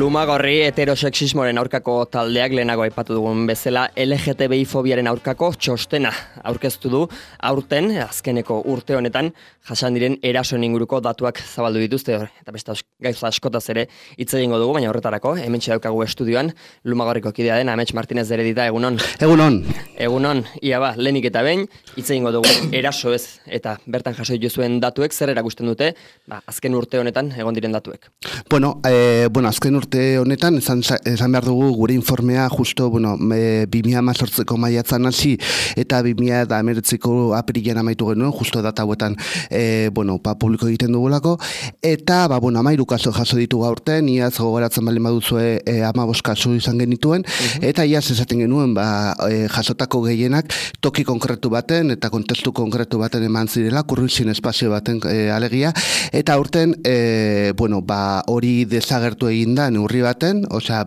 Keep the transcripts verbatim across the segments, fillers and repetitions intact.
Lumagorri heterosexismoaren aurkako taldeak lehenago aipatu dugun bezala L G T B I fobiaren aurkako txostena aurkeztu du aurten azkeneko urte honetan jasan diren erasoen inguruko datuak zabaldu dituzte eta beste gauza askotaz ere hitz egingo dugu, baina horretarako hementxe daukagu estudioan Lumagorriko kidea den Amets Martinez Deredita. Egunon. Egunon. Egunon. Ia ba, lehenik eta behin hitz egingo dugu eraso ez eta bertan jaso dituzuen datuek zer erakusten dute, ba, azken urte honetan egon diren datuek. Bueno, eh, bueno, azken urte honetan esan, esan behar dugu gure informea justo, bueno, e, bi mila hamazortziko maiatzan hasi eta bi mila hemeretziko apirilean amaitu genuen, justo data hauetan e, bueno, pa, publiko egiten dugulako, eta ba, bueno, hamairu kaso jaso ditugu aurten, iaz gogoratzen baldin baduzue e, hamabost kasu izan genituen, uh-huh. eta iaz esaten genuen ba, e, jasotako gehienak toki konkretu baten eta kontestu konkretu baten eman zirela, kurruizin espazio baten e, alegia, eta aurten e, bueno, ba, hori desagertu egin da neurri baten, osea,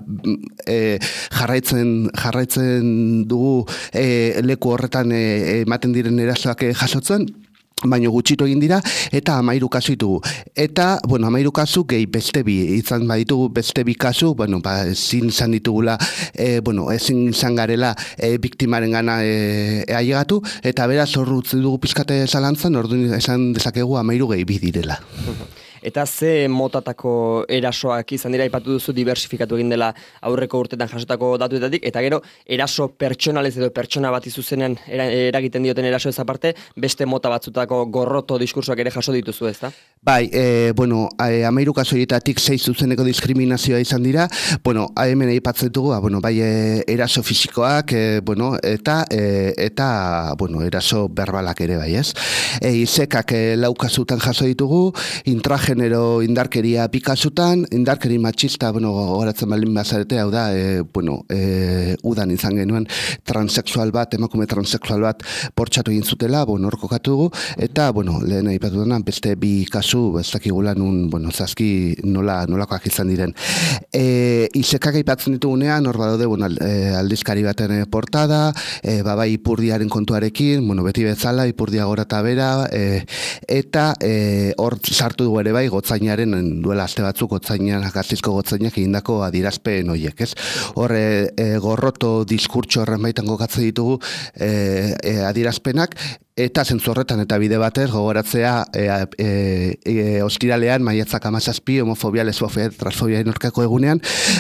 e, jarraitzen jarraitzen dugu e, leku horretan ematen e, diren erasoak e, jasotzen, baino gutxitu egin dira, eta hamairu kasu ditugu. Eta, bueno, hamairu kasu gehi beste bi, izan baditugu beste bi kasu, bueno, ba, ezin izan ditugula, e, bueno, ezin izan garela e, biktimaren gana e, e, ailegatu, eta beraz hor utzi dugu pizkate zalantzan, orduan esan dezakegu hamairu gehi bi direla. Eta ze motatako erasoak izan dira, aipatu duzu diversifikatu egin dela aurreko urtetan jasotako datuetatik, eta gero eraso pertsonalez edo pertsona bat izuzenean eragiten dioten eraso ez aparte, beste mota batzutako gorroto diskursoak ere jaso dituzu, ezta? Bai, e, bueno, hamairu kasu horietatik sei zuzeneko diskriminazioa izan dira, bueno, hemen aipatzen dugu, bueno, bai e, eraso fisikoak, e, bueno, eta e, eta, bueno, eraso berbalak ere bai, ez? E, izekak e, lau kasutan jaso ditugu, intragenero indarkeria bi kasutan, indarkeri matxista, bueno, gogoratzen baldin bazarete, hau da, e, bueno, e, udan izan genuen transexual bat, emakume transexual bat bortxatu egin zutela, bueno, hor kokatu dugu, eta, bueno, lehen aipatu dena, beste bi kasu ez dakigula nun, bueno, zazki nola, nolakoak izan diren. E, izekak aipatzen ditugunean, hor badaude, bueno, aldizkari baten portada, e, babai ipurdiaren kontuarekin, bueno, beti bezala, ipurdia gora eta bera, e, eta e, hor sartu dugu ere bai, gotzainaren, duela aste batzuk, gotzainan, gazizko gotzainak egindako adierazpen horiek, ez? Hor, e, e, gorroto diskurtso horren baitan gokatzen ditugu e, e, adierazpenak, eta zentzu horretan eta bide batez gogoratzea e, e, e, ostiralean maiatzak hamazazpi homofobia, lesbofobia, transfobiaren aurkako egunean,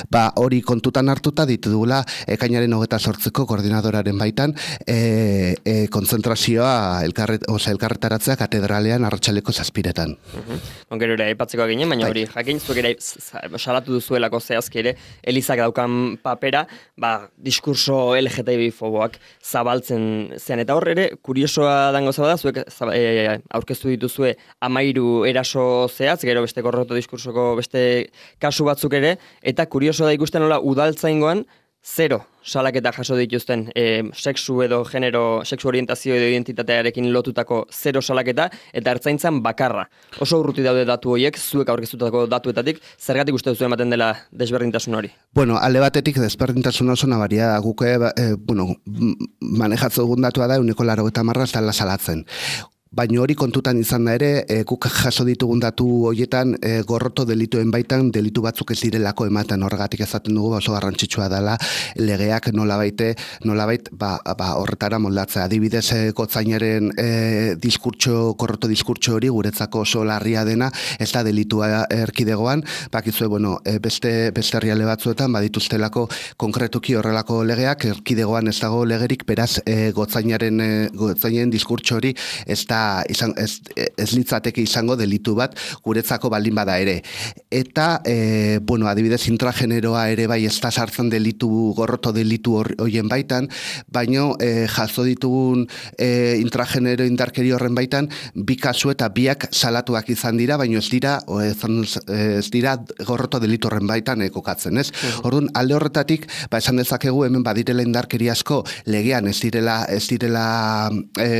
ba hori kontutan hartuta ditugula ekainaren hogeita zortziko koordinadoraren baitan e, e, kontzentrazioa elkarret, oza, elkarretaratzea katedralean arratsaleko zazpiretan. Uh-huh. Gero ere aipatzeko ginen, baina hori jakin zuek ere salatu duzuelako zehazki ere Elizak daukan papera, ba, diskurso L G T B I foboak zabaltzen zean, eta hor ere kuriosoa dango zaba da, zuek e, aurkeztu dituzue hamairu eraso zehaz, gero beste gorroto diskursoko beste kasu batzuk ere, eta kurioso da ikusten nola udaltzaingoan zero salaketa jaso dituzten e, sexu edo genero, sexu orientazio edo identitatearekin lotutako zero salaketa, eta ertzaintzan bakarra. Oso urruti daude datu horiek, zuek aurkeztutako datuetatik, zergatik uste duzu ematen dela desberdintasun hori? Bueno, alde batetik desberdintasun oso nabaria guke, e, bueno, manejatzen dugun datua da, uneko laro eta marra ez dela salatzen. Baina hori kontutan izan da ere, e, guk jaso ditugun datu horietan e, gorroto delituen baitan delitu batzuk ez direlako ematen, horregatik ezaten dugu oso garrantzitsua dela legeak nolabaite, nolabait ba, ba, horretara moldatzea. Adibidez, e, gotzainaren e, diskurtso, gorroto diskurtso hori guretzako oso larria dena, ez da delitua erkidegoan, bakizue, bueno, e, beste, beste herrialde batzuetan badituztelako konkretuki horrelako legeak, erkidegoan ez dago legerik, beraz e, gotzainaren, e, gotzainaren diskurtso hori ez da Izan, ez, ez litzateke izango delitu bat guretzako baldin bada ere. Eta, e, bueno, adibidez intrageneroa ere bai ez da sartzen delitu, gorroto delitu horien baitan, baino e, jaso ditugun e, intragenero indarkeri horren baitan, bi kasu eta biak salatuak izan dira, baino ez dira, ez, ez dira gorroto delitu horren baitan e, kokatzen, ez? Mm. Orduan, alde horretatik, ba, esan dezakegu hemen badirela indarkeri asko legean ez direla, ez direla, e,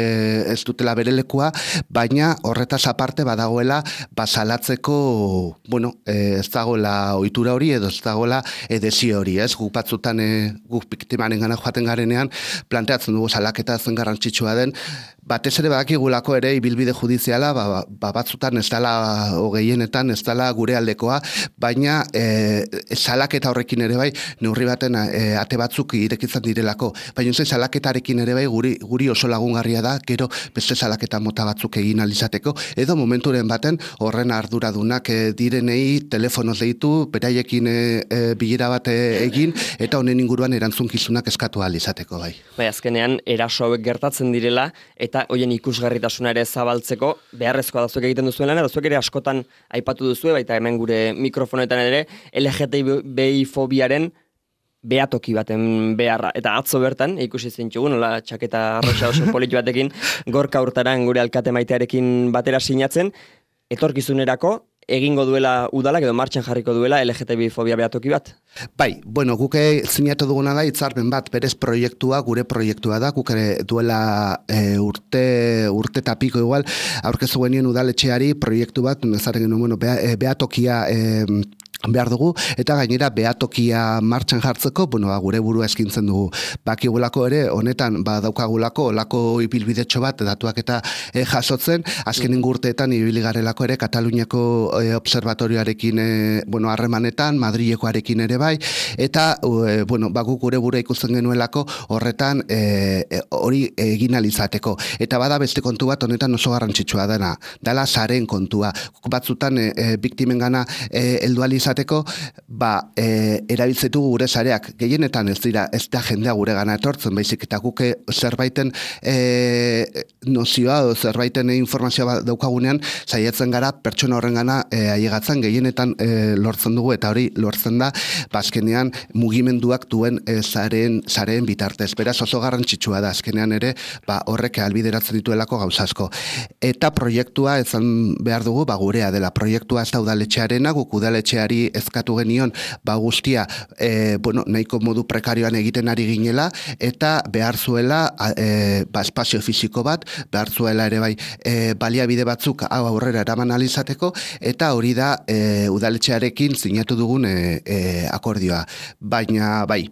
ez dutela bere lekua, baina horretaz aparte badagoela basalatzeko, bueno, e, ez dagoela ohitura hori edo ez dagoela edezio hori, ez? Guk batzutan e, guk biktimaren gana joaten garenean planteatzen dugu salaketa zen garrantzitsua den, batez ere badakigulako ere ibilbide judiziala ba, ba, batzutan ez dela hogehienetan ez dela gure aldekoa, baina e, salaketa horrekin ere bai neurri baten e, ate batzuk irekitzen direlako, baina ze salaketarekin ere bai guri, guri oso lagungarria da gero beste salaketa mota batzuk egin alizateko, edo momenturen baten horren arduradunak e, direnei telefonoz deitu, beraiekin e, e, bilera bat egin eta honen inguruan erantzunkizunak eskatu alizateko bai. Bai, azkenean eraso hauek gertatzen direla eta hoien ikusgarritasuna ere zabaltzeko beharrezkoa da zuek egiten duzuen lana, da zuek ere askotan aipatu duzue, baita hemen gure mikrofonetan ere L G T B I fobiaren behatoki baten beharra. Eta atzo bertan, ikusi zintxugu, nola txaketa arroxa oso politu batekin, Gorka Hurtaran gure alkate maitearekin batera sinatzen, etorkizunerako egingo duela udalak edo martxan jarriko duela L G T B I fobia behatoki bat? Bai, bueno, guke zinatu duguna da hitzarmen bat, berez proiektua, gure proiektua da, guk ere duela e, urte, urte tapiko igual, aurkezu genien udaletxeari proiektu bat, nezaren genuen, bueno, behatokia e, behar dugu, eta gainera behatokia martxan jartzeko, bueno, ba, gure burua eskintzen dugu. Bakigulako ere, honetan, ba, daukagulako, olako ibilbidetxo bat, datuak eta e, jasotzen, azkenen urteetan ibili garelako ere, Kataluniako e, observatorioarekin, e, bueno, harremanetan, Madrilekoarekin ere bai, eta, e, bueno, ba, guk gure burua ikusten genuelako, horretan, e, hori egin alizateko. Eta bada beste kontu bat, honetan oso garrantzitsua dena, dala zaren kontua. Batzutan, e, e, biktimen gana, e, heldu alizateko, ba, e, erabiltzetu gure sareak, gehienetan ez dira, ez da jendea gure gana etortzen, baizik eta guke zerbaiten e, nozioa o zerbaiten informazioa daukagunean, saiatzen gara pertsona horren gana e, aiegatzen, gehienetan e, lortzen dugu, eta hori lortzen da, bazkenean mugimenduak duen e, zaren, zaren bitartez. Beraz oso garrantzitsua da, azkenean ere, ba, horrek albideratzen dituelako gauzasko. Eta proiektua ezan behar dugu, ba, gurea dela, proiektua ez da udaletxearena, guk udaletxeari ezkatu genion, ba guztia, e, bueno, nahiko modu prekarioan egiten ari ginela, eta behar zuela, e, ba, espazio fisiko bat, behar zuela ere bai, e, baliabide batzuk hau aurrera eraman alizateko, eta hori da e, udaletxearekin sinatu dugun e, e, akordioa. Baina, bai,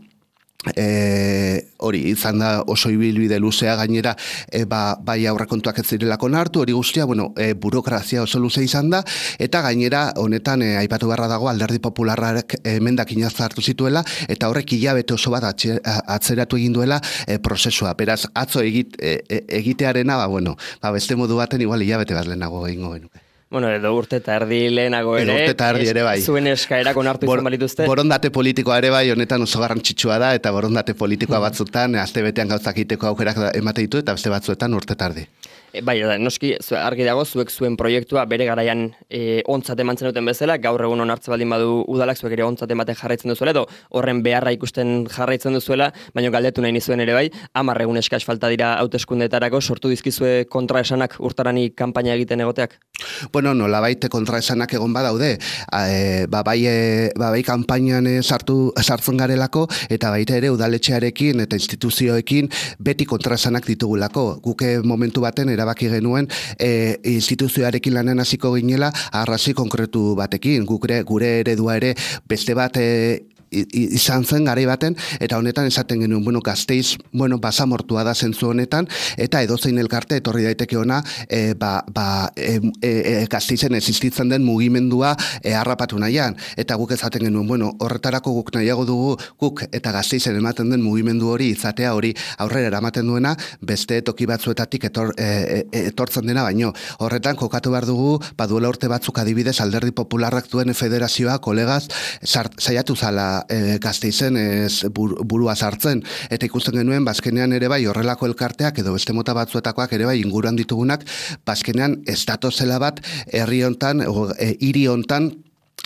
E, hori izan da oso ibilbide luzea gainera e, ba, bai aurrekontuak ez zirelako nartu, hori guztia, bueno, e, burokrazia oso luze izan da, eta gainera honetan e, aipatu beharra dago Alderdi Popularrak emendakin hartu zituela, eta horrek hilabete oso bat atxe, atzeratu egin duela e, prozesua. Beraz, atzo egit, e, egitearena, ba, bueno, ba, beste modu baten igual hilabete bat lehenago egingo genuke. Bueno, edo urte eta erdi lehenago ere, urte eta erdi ere bai. Zuen eskaerak onartu izan balituzte. Borondate politikoa ere bai, honetan oso garrantzitsua da, eta borondate politikoa batzutan, aste betean gauzak egiteko aukerak emate ditu, eta beste batzuetan urte eta erdi. E, bai, da, noski, argi dago, zuek zuen proiektua bere garaian e, ontzat emantzen duten bezala, gaur egun onartze baldin badu udalak zuek ere ontzat ematen jarraitzen duzuela, edo horren beharra ikusten jarraitzen duzuela, baina galdetu nahi nizuen ere bai, hamar egun eskas falta dira hauteskundeetarako, sortu dizkizue kontraesanak urtarani kanpaina egiten egoteak? Bueno, nolabait kontraesanak egon badaude, e, ba, bai, e, ba, bai kanpainan sartu, sartzen garelako, eta baita ere udaletxearekin eta instituzioekin beti kontraesanak ditugulako. Guke momentu baten erabaki genuen e, instituzioarekin lanen hasiko ginela arrazoi konkretu batekin. Gure, gure eredua ere beste bat e, izan zen garai baten, eta honetan esaten genuen, bueno, Gasteiz, bueno, basamortua da zentzu honetan, eta edozein elkarte etorri daiteke ona, e, ba, ba, e, e, Gasteizen existitzen den mugimendua e, harrapatu nahian, eta guk esaten genuen, bueno, horretarako guk nahiago dugu, guk eta Gasteizen ematen den mugimendu hori, izatea hori aurrera eramaten duena, beste toki batzuetatik etor, e, e, etortzen dena baino. Horretan, kokatu behar dugu, baduela urte batzuk adibidez, Alderdi Popularrak duen federazioa, kolegaz, saiatu zala E, Gasteizen ez burua sartzen, eta ikusten genuen bazkenean ere bai horrelako elkarteak edo beste mota batzuetakoak ere bai inguruan ditugunak bazkenean ez datozela bat herri hontan, e, hiri hontan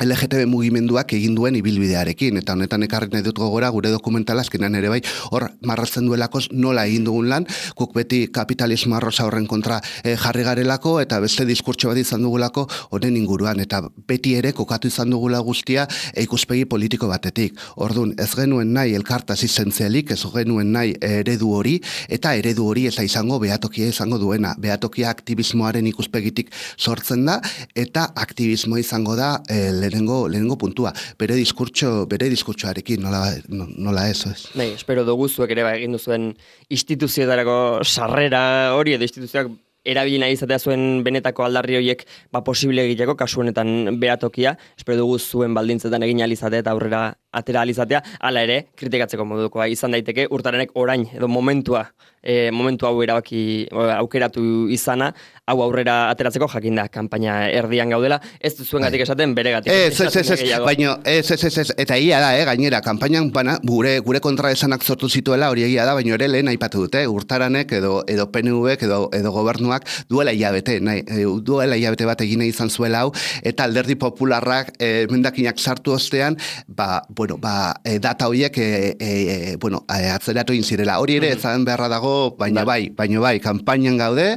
L G T B mugimenduak egin duen ibilbidearekin, eta honetan ekarri nahi dut gogora gure dokumentala azkenan ere bai, hor marrazten duelakoz nola egin dugun lan, guk beti kapitalismo arrosa horren kontra e, jarri garelako, eta beste diskurtso bat izan dugulako honen inguruan, eta beti ere kokatu izan dugula guztia e, ikuspegi politiko batetik. Ordun ez genuen nahi elkartaz izentzialik, ez genuen nahi eredu hori, eta eredu hori ez da izango behatokia izango duena. Behatokia aktivismoaren ikuspegitik sortzen da, eta aktivismoa izango da e, lehenengo, lehenengo puntua. Bere diskurtso, bere diskurtsoarekin, nola, nola ez, ez. Bai, espero dugu zuek ere ba, egin duzuen instituzioetarako sarrera hori, edo instituzioak erabili nahi izatea zuen benetako aldarri horiek ba, posible egiteko, kasu honetan behatokia, espero dugu zuen baldintzetan egin alizatea eta aurrera atera alizatea, hala ere, kritikatzeko modukoa izan daiteke, urtarenek orain, edo momentua, e, momentu hau erabaki aukeratu izana, hau aurrera ateratzeko jakinda kanpaina erdian gaudela, ez zuen gatik esaten bere gatik. Ez, ez, ez, ez, baina, ez, ez, ez, ez, eta ia da, eh, gainera, kanpainan bana, gure, gure kontra esanak sortu zituela, hori egia da, baina ere lehen aipatu dute, urtaranek edo, edo P N V edo, edo gobernuak duela hilabete, nahi, duela hilabete bat egine izan zuela hau, eta alderdi popularrak e, mendakinak sartu ostean, ba, bueno, ba, e, data horiek e, e, bueno, e, atzeratu inzirela. Hori ere, ezan beharra dago, baina bai, baina bai, kanpainan gaude,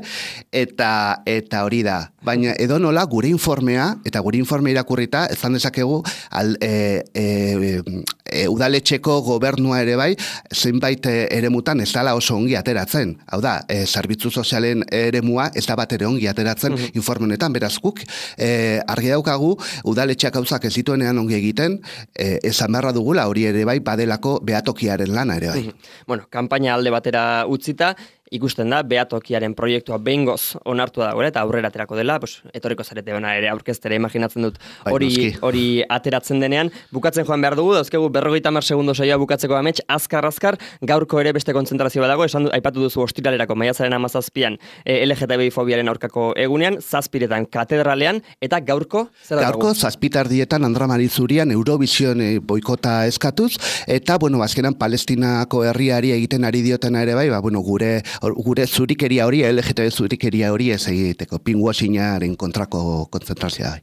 eta eta hori da. Baina edo nola gure informea, eta gure informe irakurrita, ezan dezakegu, al, e, e, e, udaletxeko gobernua ere bai, zenbait eremutan ez dala oso ongi ateratzen. Hau da, e, zerbitzu sozialen eremua ez da bat ere ongi ateratzen uh-huh. informe honetan, beraz guk, e, argi daukagu, udaletxeak gauzak ez dituenean ongi egiten, e, ezan beharra dugula hori ere bai, badelako behatokiaren lana ere bai. Uh-huh. Bueno, kanpaina alde batera utzita, ikusten da, behatokiaren proiektua behingoz onartu da eta aurrera aterako dela, pues, etorriko zarete ona ere aurkeztera imaginatzen dut hori hori ateratzen denean. Bukatzen joan behar dugu, dauzkegu berrogeita hamar segundo saioa bukatzeko amets, azkar-azkar, gaurko ere beste kontzentrazio bat dago, esan du, aipatu duzu ostiralerako maiatzaren hamazazpian e, L G T B I fobiaren aurkako egunean, zazpiretan katedralean, eta gaurko, zer da gaurko, zazpitardietan Andra Marizurian Eurovision e, boikota eskatuz, eta, bueno, azkenan Palestinako herriari egiten ari diotena ere bai, ba, bueno, gure gure zurikeria hori, L G T B zurikeria hori ez egiteko, pinwashingaren kontrako konzentrazioa.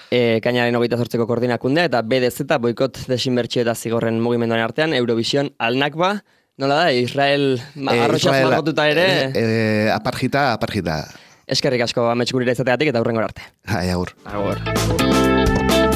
E, kainaren hogeita zortzeko koordinakundea eta B D Z, boikot desinbertsio eta zigorren mugimenduaren artean, Eurovision Al-Nakba, nola da, Israel ma, e, arrotxaz margotuta ere? E, e, aparjita, aparjita. Eskerrik asko amets gurira izateatik eta hurrengor arte. Hai, agur. Agur.